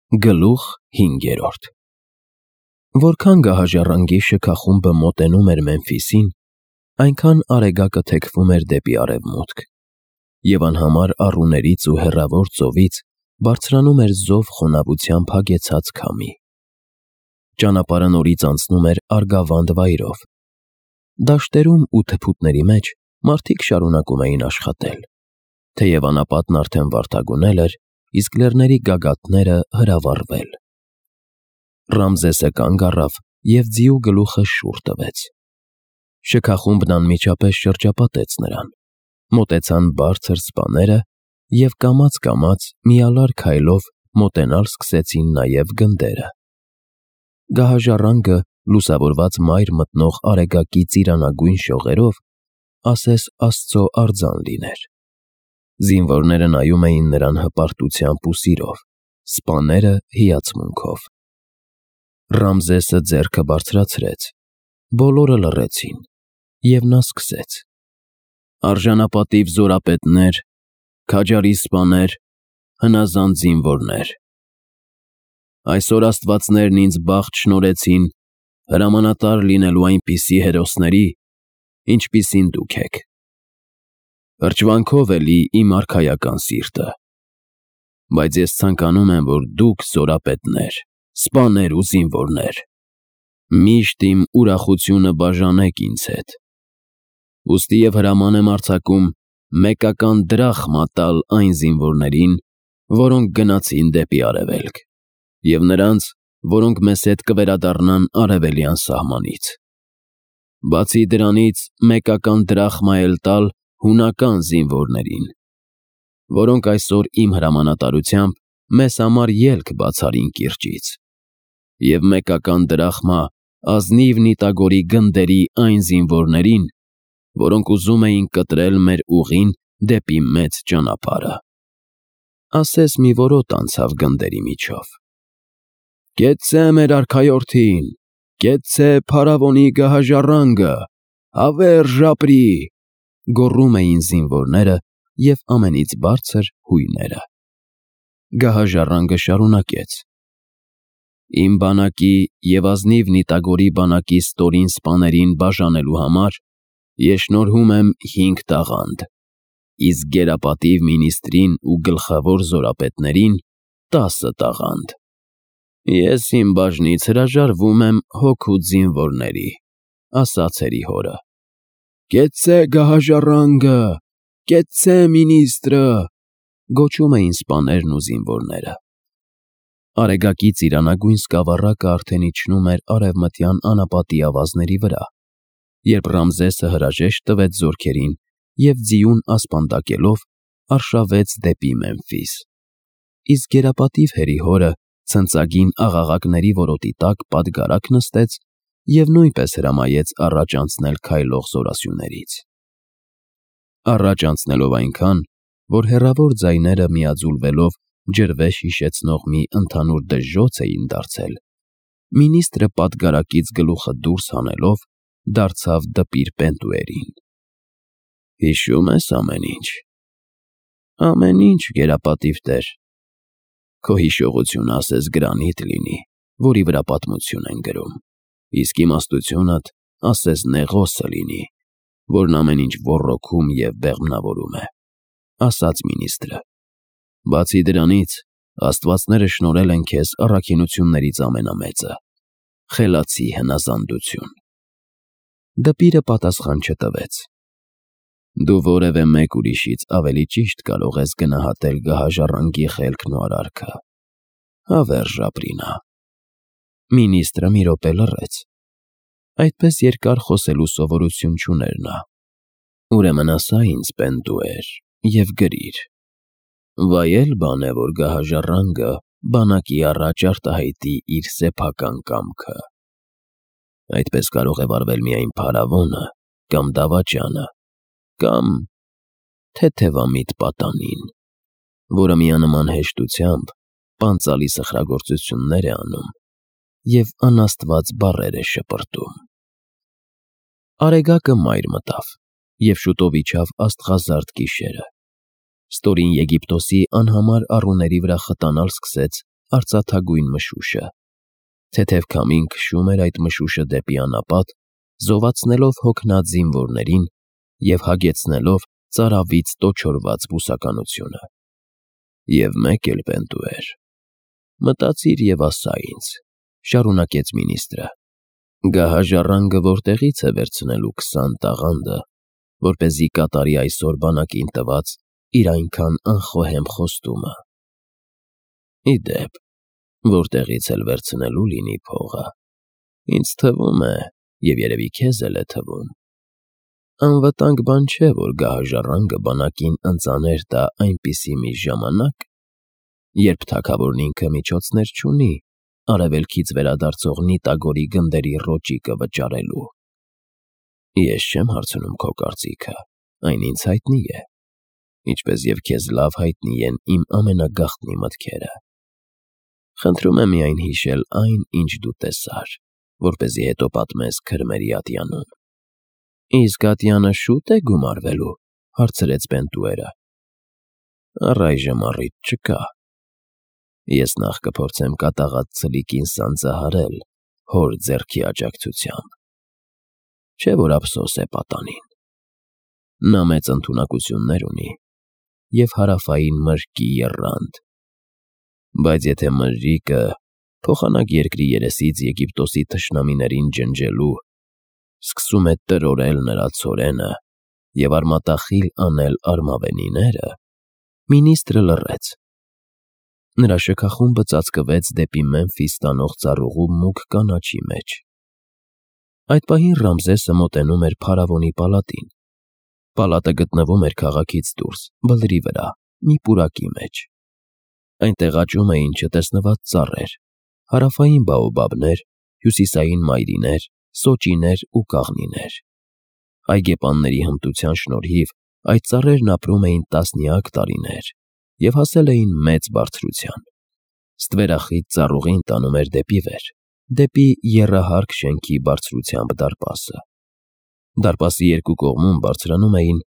Գլուխ 5. Որքան գահաժառանգի շքախումբը մոտենում էր Մեմֆիսին, այնքան Արեգակը թեքվում էր դեպի արևմուտք, և անհամար առուներից ու հեռավոր ծովից բարձրանում էր զով խոնավությամբ հագեցած քամի։ Ճանապարհը նորից անցնում էր արգավանդ վայրով։ Դաշտերում ու թփուտների մեջ մարդիկ շարունակում էին աշխատել, թեև անապատն արդեն վարդագունել էր, իսկ լեռների գագաթները հրավառվել։ Ռամզեսը կանգ առավ և ձիու գլուխը շուռ տվեց։ Շքախումբն անմիջապես շրջապատեց նրան, մոտեցան բարձր սպաները և կամաց-կամաց միալար քայլով մոտենալ սկսեցին նաև գնդերը։ Գահաժառանգը, լուսավորված մայր մտնող Արեգակի ծիրանագույն շողերով, ասես Աստծո արձան լիներ։ Զինվորները նայում էին նրան հպարտությամբ ու սիրով, սպաները հիացմունքով։ Ռամզեսը ձեռքը բարձրացրեց, բոլորը լռեցին, և նա սկսեց. «Արժանապատիվ զորապետներ, քաջարի սպաներ, հնազանդ զինվորներ, այսօր աստվածներն ինձ բախտ շնորհեցին հրամանատար լինելու այնպիսի հերոսների, ինչպիսին դուք եք։ Հրճվանքով է լի իմ արքայական սիրտը, բայց ես ցանկանում եմ, որ դուք, զորապետներ, սպաներ ու զինվորներ, միշտ իմ ուրախությունը բաժանեք ինձ հետ։ Ուստի և հրաման եմ արձակում մեկական դրախմա տալ այն զինվորներին, որոնք գնացին դեպի արևելք, և նրանց, որոնք մեզ հետ կվերադառնան արևելյան սահմանից։ Բացի դրանից մեկական դրախմա էլ տալ հունական զինվորներին, որոնք այսօր իմ հրամանատարությամբ մեզ համար ելք բացարին կիրճից, և մեկական դրախմա ազնիվ Նիտագորի գնդերի այն զինվորներին, որոնք ուզում էին կտրել մեր ուղին դեպի մեծ ճանապարհը»։ Ասես մի որոտ անցավ գնդերի միջով։ «Կեցցե մեր արքայորդին, կեցցե փարավոնի գահաժառանգը, հավերժ ապրի», գոռում էին զինվորները և ամենից բարձր հույները։ Գահաժառանգը շարունակեց. «Իմ բանակի և ազնիվ Նիտագորի բանակի ստորին սպաներին բաժանելու համար ես շնորհում եմ 5 տաղանդ, իսկ գերապատիվ մինիստրին ու գլխավոր զորապետներին 10 տաղանդ։ Ես իմ բաժնից հրաժարվում եմ հոգուց զինվորների», ասաց հերիհորը։ «Կեցցե գահաժառանգը, կեցցե մինիստրը», գոչում էին սպաներն ու զինվորները։ Արեգակի ծիրանագույն սկավառակը արդեն իջնում էր արևմտյան անապատի ավազների վրա, երբ Ռամզեսը հրաժեշտ տվեց զորքերին և ձիուն ասպանդակելով արշավեց դեպի Մեմֆիս, իսկ գերապատիվ հերիհորը ցնծագին աղաղակների որոտի տակ պատգարակ նստեց և նույնպես հրամայեց առաջ անցնել քայլող զորասյուներից։ Առաջ անցնելով այնքան, որ հեռավոր ձայները միաձուլվելով ջրվեժ հիշեցնող մի ընդհանուր դժոխք էին դարձել, մինիստրը պատգարակից գլուխը դուրս հանելով դարձավ դպիր Պենտուերին։ «Հիշո՞ւմ ես ամեն ինչ»։ «Ամեն ինչ, գերապատիվ տեր»։ «Քո հիշողությունը ասես գրանիտ լինի, որի վրա պատմություն են գրում, իսկ իմաստությունդ ասես Նեղոսը լինի, որն ամեն ինչ ոռոգում և բեղմնավորում է», ասաց մինիստրը։ «Բացի դրանից, աստվածները շնորհել են քեզ առաքինություններից ամենամեծը՝ խելացի հնազանդություն»։ Դպիրը պատասխան չտվեց։ «Դու որևէ մեկ ուրիշից ավելի ճիշտ կարող ես գնահատել գահաժառանգի խելքն ու արարքը։ Հավերժ ապրի նա»։ Մինիստրը մի րոպե լռեց։ Այդպես երկար խոսելու սովորություն չուներ նա։ «Ուրեմն ասա ինձ, Պենտուեր, և գրիր. վայել բան է, որ գահաժառանգը բանակի առաջ արտահայտի իր սեփական կամքը։ Այդպես կարող է վարվել միայն փարավոնը կամ դավաճանը, կամ թեթևամիտ պատանին, որը միանման հեշտությամբ պանծալի սխրագործություններ է անում և անաստված բառեր է շպրտում»։ Արեգակը մայր մտավ, և շուտով իջավ աստղազարդ գիշերը։ Ստորին Եգիպտոսի անհամար առուների վրա խտանալ սկսեց արծաթագույն մշուշը։ Թեթև քամին քշում էր այդ մշուշը դեպի անապատ, զովացնելով հոգնած զինվորներին և հագեցնելով ծարավից տոչորված բուսականությունը։ Եվ մեկ էլ Պենտուեր, մտածիր և ասա ինձ, շարունակեց մինիստրը, գահաժառանգը որտեղից է վերցնելու 20 տաղանդը, որպեսզի կատարի այսօր բանակին տված իր այնքան անխոհեմ խոստումը։ Ի դեպ, որտեղից էլ վերցնելու լինի փողը, ինձ թվում է, և երևի քեզ էլ է թվում, անվտանգ բան չէ, որ գահաժառանգը բանակին ընծաներ տա այնպիսի մի ժամանակ, երբ թագավորն ինքը միջոցներ չունի արևելքից վերադարձող Նիտագորի գնդերի ռոճիկը վճարելու։ Ես չեմ հարցնում քո կարծիքը, այն ինձ հայտնի է, ինչպես և քեզ լավ հայտնի են իմ ամենագաղտնի մտքերը։ Խնդրում եմ միայն հիշել այն, ինչ դու տեսար, որպեսզի հետո պատմես քրմերի ատյանում։ Իսկ ատյանը շուտ է գումարվելու, հարցրեց Պենտուերը։ Առայժմ առիթ չկա։ Ես նախ կփորձեմ կատաղած ցլիկին սանձահարել հոր ձեռքի աջակցությամբ։ Չէ՞ որ ափսոս է պատանին։ Նա մեծ ընդունակություններ ունի և հարավային մրրկի եռանդ։ Բայց եթե մրրիկը փոխանակ երկրի երեսից Եգիպտոսի թշնամիներին ջնջելու, սկսում է տրորել նրա ցորենը և արմատախիլ անել արմավենիները, մինիստրը լռեց։ Նրա շքախումբը ծածկվեց դեպի Մեմֆիս տանող ծառուղու մուգ կանաչի մեջ։ Այդ պահին Ռամզեսը մոտենում էր փարավոնի պալատին։ Պալատը գտնվում էր քաղաքից դուրս, բլրի վրա, մի պուրակի մեջ։ Այնտեղ աճում էին չտեսնված ծառեր, հարավային բաոբաբներ, հյուսիսային մայրիներ, սոճիներ ու կաղնիներ։ Այգեպանների հմտության շնորհիվ այդ ծառերն ապրում էին տասնյակ տարիներ և հասել էին մեծ բարձրության։ Ստվերախիտ ծառուղին տանում էր դեպի վեր, դեպի եռահարկ շենքի բարձրությամբ դարպասը։ Դարպասի երկու կողմում բարձրանում էին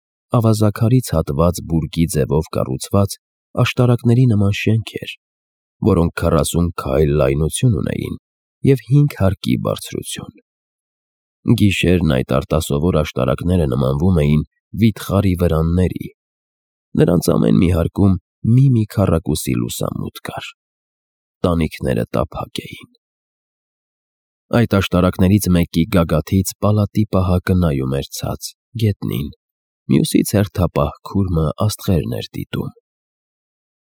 ավազաքարից հատված բուրգի ձևով կառուցված աշտարակների նման շենքեր, որոնք 40 քայլ լայնություն ունեին և 5 հարկի բարձրություն։ Գիշերն այդ արտասովոր աշտարակները նմանվում էին վիթխարի վրանների։ Նրանց ամեն մի հարկում մի քառակուսի լուսամուտ կար։ Տանիքները տափակ էին։ Այդ աշտարակներից մեկի գագաթից պալատի պահակը նայում էր ցած, գետնին, մյուսից հերթապահ քուրմը աստղերն էր դիտում։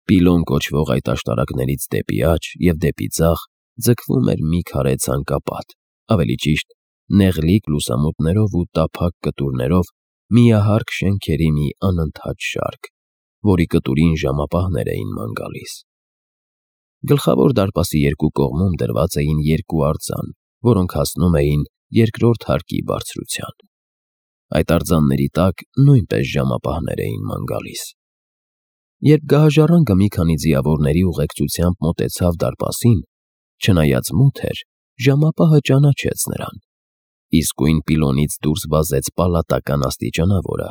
Պիլոն կոչվող այդ աշտարակներից դեպի աջ և դեպի ձախ ձգվում էր մի քարե ցանկապատ, ավելի ճիշտ, նեղլիկ լուսամուտներով ու տափակ կտուրներով միահարկ շենքերի մի անընդհատ շարք, որի կտուրին ժամապահներ էին ման գալիս։ Գլխավոր դարպասի երկու կողմում դրված էին երկու արձան, որոնք հասնում էին երկրորդ հարկի բարձրության։ Այդ արձանների տակ նույնպես ժամապահներ էին ման գալիս։ Երբ գահաժառանգը մի քանի ձիավորների ուղեկցությամբ մոտեցավ դարպասին, չնայած մութ էր, ժամապահը ճանաչեց նրան։ Իսկույն պիլոնից դուրս վազեց պալատական աստիճանավորը,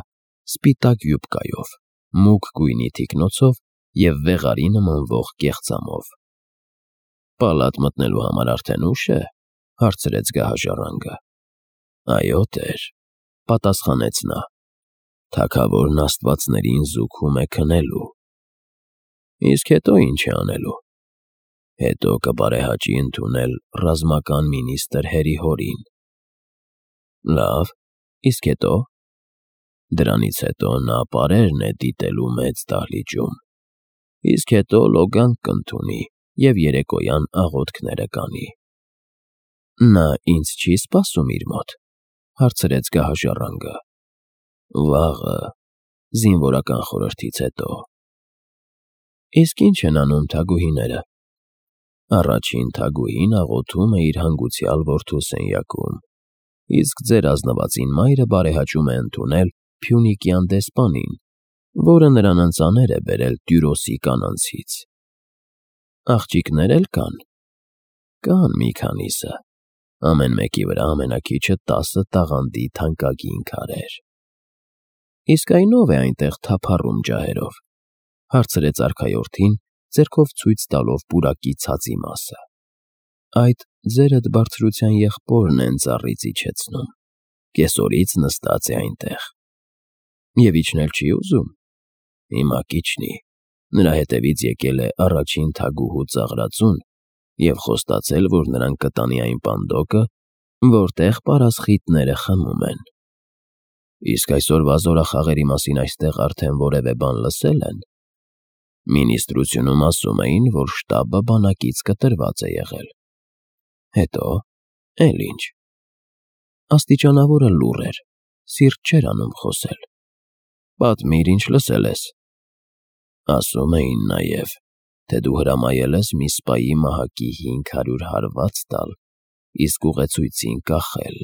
սպիտակ յուբկայով, մուգ գույնի թիկնոցով և վեղարի նմանվող կեղծամով։ Պալատ մտնելու համար արդեն ուշ է, հարցրեց գահաժառանգը։ Այո, տեր, պատասխանեց նա։ Թագավորն աստվածներին զուգում է քնելու։ Իսկ հետո ինչ է անելու։ Հետո կբարեհաճի ընդունել ռազմական մինիստրը Հերիհորին։ Լավ, իսկ հետո։ Դրանից հետո նա պարերն է դիտելու մեծ դահլիճում։ Իսկ հետո լոգանք կընդունի և երեկոյան աղոթքները կանի։ Նա ինձ չի՞ սպասում իր մոտ, հարցրեց գահաժառանգը։ Վաղը, զինվորական խորհրդից հետո։ Իսկ ի՞նչ են անում թագուհիները։ Առաջին թագուհին աղոթում է իր հանգուցյալ որդու սենյակում, իսկ ձեր ազնվածին մայրը բարեհաճում է ընդունել Փյունիկյան դեսպանին, որը նրան ընծաներ է բերել Տյուրոսի կանանցից։ Աղջիկներ էլ կան։ Կան մի քանիսը, ամեն մեկի վրա ամենաքիչը 10 տաղանդի թանկագին քարեր։ Իսկ այն ով է այնտեղ թափառում ջահերով, հարցրեց արքայորդին, ձեռքով ցույց տալով պուրակի ցածի մասը։ Այդ ձերդ բարձրության եղբորն են ծառից իջեցնում, կեսօրից նստած է այնտեղ։ Եվ իջնել չի ուզում։ Հիմա կիջնի, նրա հետևից եկել է առաջին թագուհու ծաղրածուն և խոստացել, որ նրան կտանի այն պանդոկը, որտեղ պարասխիթները խմում են։ Իսկ այսօրվա զորախաղերի մասին այստեղ արդեն որևէ բան լսել են։ Մինիստրությունում ասում էին, որ շտաբը բանակից կտրված է եղել։ Հետո, էլ ինչ։ Աստիճանավորը լուռ էր, սիրտ չէր անում խոսել։ Պատմիր, ինչ լսել ես։ Ասում էին նաև, թե դու հրամայել ես մի սպայի մահակի 500 հարված տալ, իսկ ուղեցույցին կախել։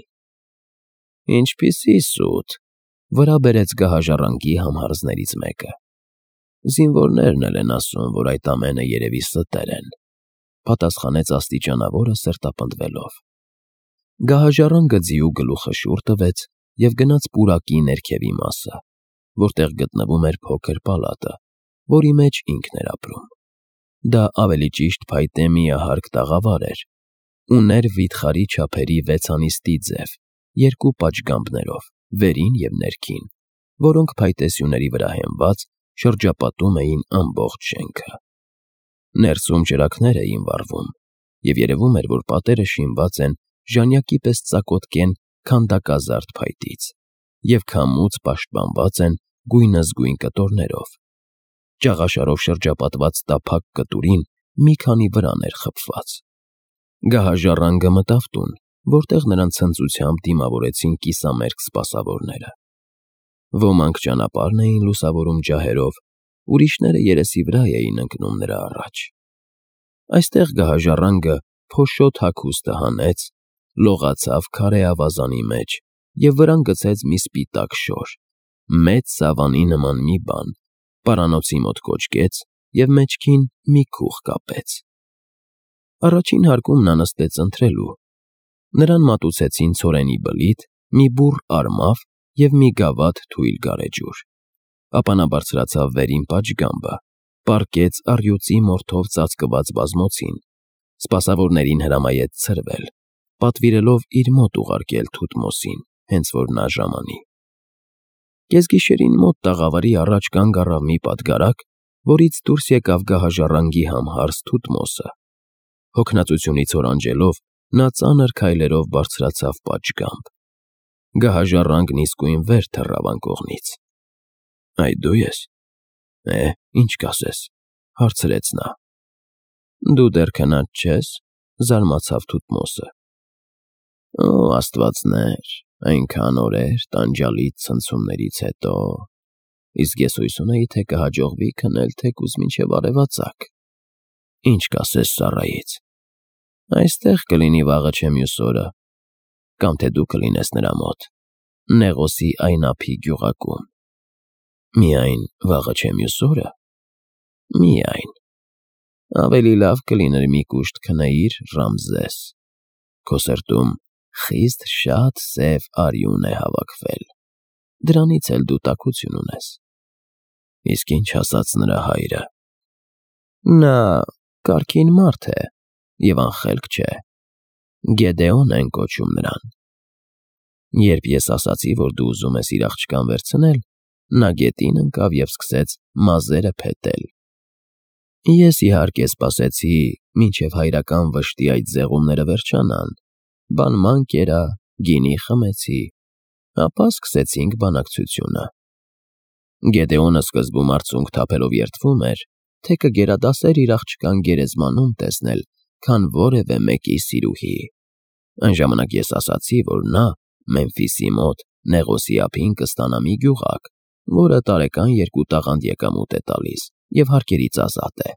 Ինչպիսի սուտ, վրա բերեց գահաժառանգի համհարզներից մեկը։ Զինվորներն էլ են ասում, որ այդ ամենը երևի ստեր են, պատասխանեց աստիճանավորը սրտապնդվելով։ Գահաժառանգը ձիու գլուխը շուռ տվեց և գնաց պուրակի ներքևի մասը, որտեղ գտնվում էր փոքր պալատը, որի մեջ ինքն էր ապրում։ Դա ավելի ճիշտ փայտե միահարկ տաղավար էր, ուներ վիթխարի չափերի 6 անիստի ձև, 2 պատշգամբներով, վերին և ներքին, որոնք փայտե սյուների վրա հենված շրջապատում էին ամբողջ շենքը։ Ներսում ճրագներ էին վառվում, և երևում էր, որ պատերը շինված են ժանյակի պես ծակոտկեն քանդակազարդ փայտից և քամուց պաշտպանված են գույնզգույն կտորներով։ Ճաղաշարով շրջապատված տափակ կտուրին մի քանի վրան էր խփված։ Գահաժառանգը մտավ տուն, որտեղ նրան ցնծությամբ դիմավորեցին կիսամերկ սպասավորները։ Ոմանք ճանապարհն էին լուսավորում ջահերով, ուրիշները երեսի վրա էին ընկնում նրա առաջ։ Այստեղ գահաժառանգը փոշոտ հագուստը հանեց, լողացավ քարե ավազանի մեջ և վրան գցեց մի սպիտակ շոր, մեծ սավանի նման մի բան, պարանոցի մոտ կոճկեց և մեջքին մի քուղ կապեց։ Առաջին հարկում նա նստեց ընթրելու։ Նրան մատուցեցին ցորենի բլիթ, մի բուռ արմավ և մի գավաթ թույլ գարեջուր։ Ապա նա բարձրացավ վերին պատշգամբը, պառկեց առյուծի մորթով ծածկված բազմոցին, սպասավորներին հրամայեց ցրվել, պատվիրելով իր մոտ ուղարկել Թութմոսին, հենց որ նա ժամանի։ Կեսգիշերին մոտ տաղավարի առաջ կանգ առավ մի պատգարակ, որից դուրս եկավ գահաժառանգի համհարզ Թութմոսը։ Հոգնածությունից օրանջելով, նա ծանր քայլերով բարձրացավ պատշգամբ։ Գահաժառանգն իսկույն վեր թռավ անկողնից։ Այդ դու ես։ Ինչ կասես, հարցրեց նա։ Դու դեռ քնած չես, զարմացավ Թութմոսը։ Աստվածներ, այնքան օրեր տանջալից ցնցումներից հետո, իսկ ես հույս ունեի, թե կհաջողվի քնել թեկուզ մինչև արևածագ։ Ինչ կասես ծառայից։ Այստեղ կլինի վաղը չէ մյուս օրը, կամ թե դու կլինես նրա մոտ, Նեղոսի այն ափի գյուղակում։ Միայն վաղը չէ մյուս օրը։ Միայն։ Ավելի լավ կլիներ մի կուշտ քնեիր, Ռամզես։ Քո սրտում խիստ շատ սև արյուն է հավաքվել, դրանից էլ դու տաքություն ունես։ Իսկ ինչ ասաց նրա հայրը։ Նա կարգին մարդ է և անխելք չէ։ Գեդեոն են կոչում նրան։ Երբ ես ասացի, որ դու ուզում ես իր աղջկան վերցնել, նա գետին ընկավ և սկսեց մազերը փետել։ Ես իհարկե սպասեցի, մինչև հայրական վշտի այդ զեղումները վերջանան, բանման կերա, գինի խմեցի, ապա սկսեցինք բանակցությունը։ Գեդեոնը սկզբում արցունք թափելով երդվում էր, թե կգերադասեր իր աղջկան գերեզմանում տեսնել, քան որևէ մեկի սիրուհի։ Այն ժամանակ ես ասացի, որ նա Մեմֆիսի մոտ Նեղոսի ափին կստանա մի գյուղակ, որը տարեկան 2 տաղանդ եկամուտ է տալիս և հարկերից ազատ է։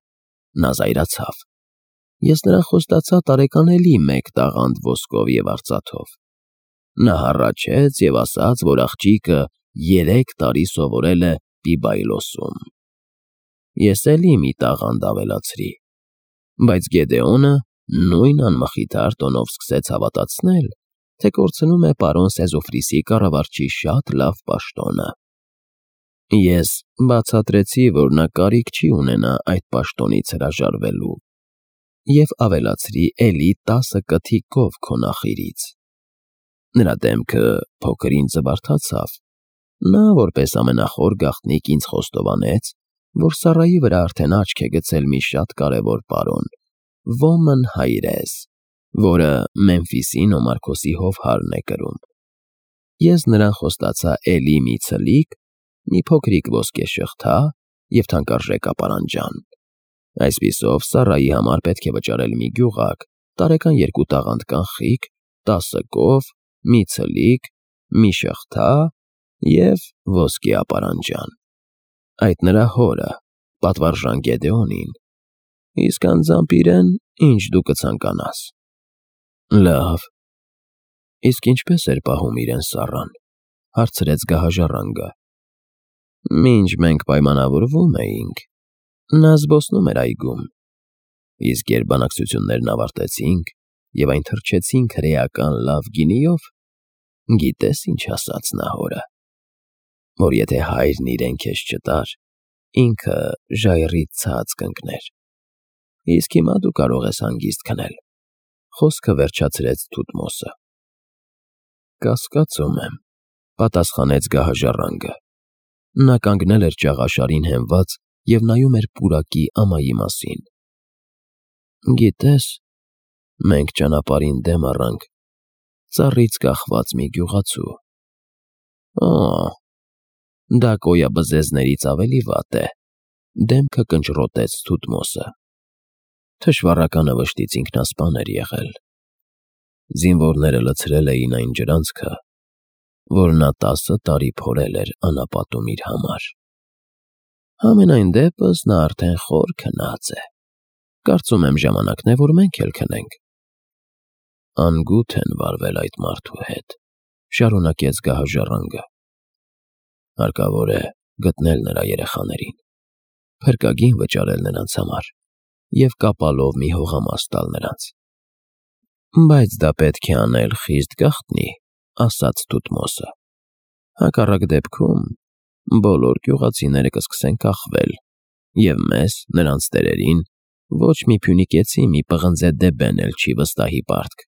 Նա զայրացավ։ Ես նրան խոստացա տարեկան էլի 1 տաղանդ ոսկով և արծաթով։ Նա հառաչեց և ասաց, որ աղջիկը 3 տարի սովորել է Պիբայլոսում։ Ես էլի մի տաղանդ ավելացրի։ Բայց Գեդեոնը նույն անմխիթար տոնով սկսեց հավատացնել, թե կորցնում է պարոն Սեզոֆրիսի կառավարչի շատ լավ պաշտոնը։ Ես բացատրեցի, որ նա կարիք չի ունենա այդ պաշտոնից հրաժարվելու և ավելացրի էլի 10 կթի կով քո նախիրից։ Նրա դեմքը փոքր ինձ զվարթացավ։ Նա որպես ամենախոր գաղտնիք ինձ խոստովանեց, որ Սառայի վրա արդեն աչք է գցել մի շատ կարևոր պարոն, Ոմն Հայրես, որը Մեմֆիսի Նոմարքոսի հովհարն է կրում։ Ես նրան խոստացա էլի մի ցլիկ, մի փոքրիկ ոսկե շղթա և թանկարժեք ապարանջան։ Այսպիսով Սառայի համար պետք է վճարել մի գյուղակ, տարեկան 2 տաղանդ կանխիկ, 10 կով, մի ցլիկ, մի շղթա և ոսկե ապարանջան։ Այդ նրա հորը, պատվարժան Գեդեոնին, իսկ անձամբ իրեն, ինչ դու կցանկանաս։ Լավ, իսկ ինչպե՞ս էր պահում իրեն Սառան, հարցրեց գահաժառանգը։ Մինչ մենք պայմանավորվում էինք, նա զբոսնում էր այգում, իսկ երբ բանակցություններն ավարտեցինք և այն թրջեցինք հրեական լավ գինիով, գիտես ինչ ասաց նա հորը, որ եթե հայրն իրեն քեզ չտար, ինքը ժայռից ցած կընկներ, իսկ հիմա դու կարող ես հանգիստ քնել, խոսքը վերջացրեց Թութմոսը։ Կասկածում եմ, պատասխանեց գահաժառանգը։ Նա կանգնել էր ճաղաշարին հենված և նայում էր պուրակի ամայի մասին։ Գիտես, մենք ճանապարհին դեմ առանք ծառից կախված մի գյուղացու։ Դա կոյաբզեզներից ավելի վատ է, դեմքը կնճռոտեց Թութմոսը։ Թշվառականը վշտից ինքնասպան էր եղել։ Զինվորները լցրել էին այն ջրանցքը, որ նա 10 տարի փորել էր անապատում իր համար։ Համենայն դեպս նա արդեն խոր քնած է։ Կարծում եմ ժամանակն է, որ մենք էլ քնենք։ Անգութ են վարվել այդ մարդու հետ, շարունակեց գահաժառանգը։ Հարկավոր է գտնել նրա երեխաներին, փրկագին վճարել նրանց համար և կապալով մի հողամաս տալ նրանց։ Բայց դա պետք է անել խիստ գաղտնի, ասաց Թութմոսը։ Հակառակ դեպքում բոլոր գյուղացիները կսկսեն կախվել, և մեզ, նրանց տերերին, ոչ մի փյունիկեցի մի պղնձե դեբեն էլ չի վստահի պարտք։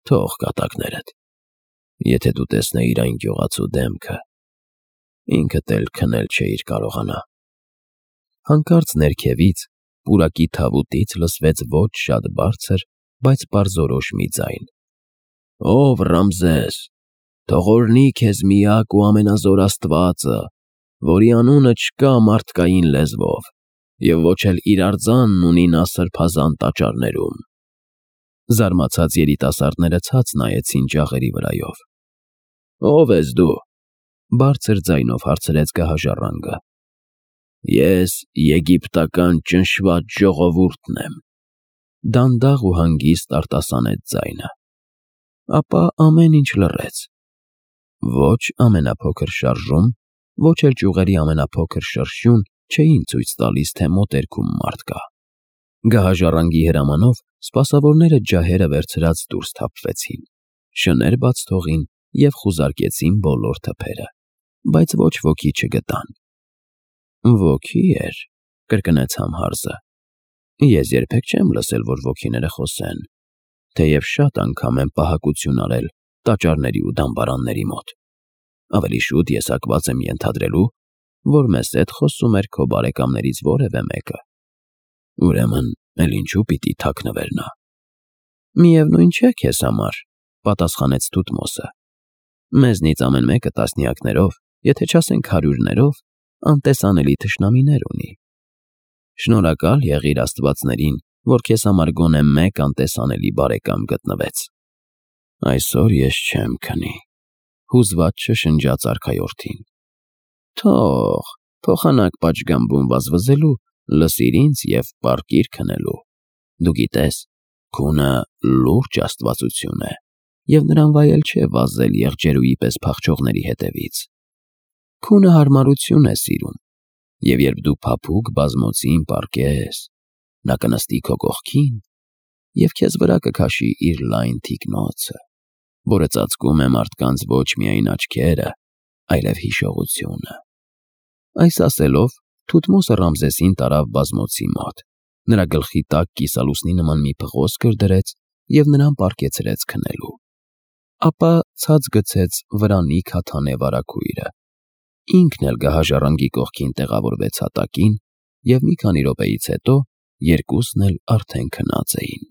Թող կատակներդ, եթե դու տեսնեիր այն գյուղացու դեմքը, ինքդ էլ քնել չէիր կարողանա։ Հանկարծ ներքևից, պուրակի թավուտից լսվեց ոչ շատ բարձր, բայց պարզորոշ մի ձայն. Ով Ռամզես, թող օրհնի քեզ միակ ու ամենազոր Աստվածը, որի անունը չկա մարդկային լեզվով, և ոչ էլ իր արձանն ունի նա սրբազան տաճարներում։ Զարմացած երիտասարդները ցած նայեցին ջաղերի վրայով։ Ո՞վ ես դու, բարձր ձայնով հարցրեց գահաժառանգը։ Ես եգիպտական ճնշված ժողովուրդն եմ, դանդաղ ու հանգիստ արտասանեց ձայնը։ Ապա ամեն ինչ լռեց։ Ոչ ամենափոքր շարժում, ոչ էլ ճյուղերի ամենափոքր շրշյուն չէին ցույց տալիս, թե մոտերքում մարդ կա։ Գահաժառանգի հրամանով սպասավորները ջահերը վերցրած դուրս թափվեցին, շներ բաց թողին և խուզարկեցին բոլոր թփերը, բայց ոչ ոքի չգտան։ Ոգի էր, կրկնեց համհարզը։ Ես երբեք չեմ լսել, որ ոգիները խոսեն, թեև շատ անգամ եմ պահակություն արել տաճարների ու դամբարանների մոտ։ Ավելի շուտ ես հակված եմ ենթադրելու, որ մեզ հետ խոսում էր քո բարեկամներից որևէ մեկը։ Ուրեմն, էլ ինչու պիտի թաքնվեր նա։ Միևնույն չէ քեզ համար, պատասխանեց Թութմոսը։ Մեզնից ամեն մեկը տասնյակներով, եթե չասենք հարյուրներով, անտեսանելի թշնամիներ ունի։ Շնորհակալ եղիր աստվածներին, որ քեզ համար գոնե մեկ անտեսանելի բարեկամ գտնվեց։ Այսօր ես չեմ քնի, հուզված շշնջաց արքայորդին։ Թող, փոխանակ պատշգամբում վազվզելու, լսիր ինձ և պառկիր քնելու։ Դու գիտես, քունը լուրջ աստվածություն է, և նրան վայել չէ վազել եղջերուի պես փախչողների հետևից։ Քունը հարմարություն է սիրում, և երբ դու փափուկ բազմոցին պառկես, նա կնստի քո կողքին և քեզ վրա կքաշի իր լայն թիկնոցը, որը ծածկում է մարդկանց ոչ միայն աչքերը, այլև հիշողությունը։ Այս ասելով, Թութմոսը Ռամզեսին տարավ բազմոցի մոտ, նրա գլխի տակ կիսալուսնի նման մի փղոսկր դրեց և նրան պառկեցրեց քնելու։ Ապա ցած գցեց վրանի քաթանե վարագույրը, ինքն էլ գահաժառանգի կողքին տեղավորվեց հատակին, և մի քանի րոպեից հետո երկուսն էլ արդեն քնած էին։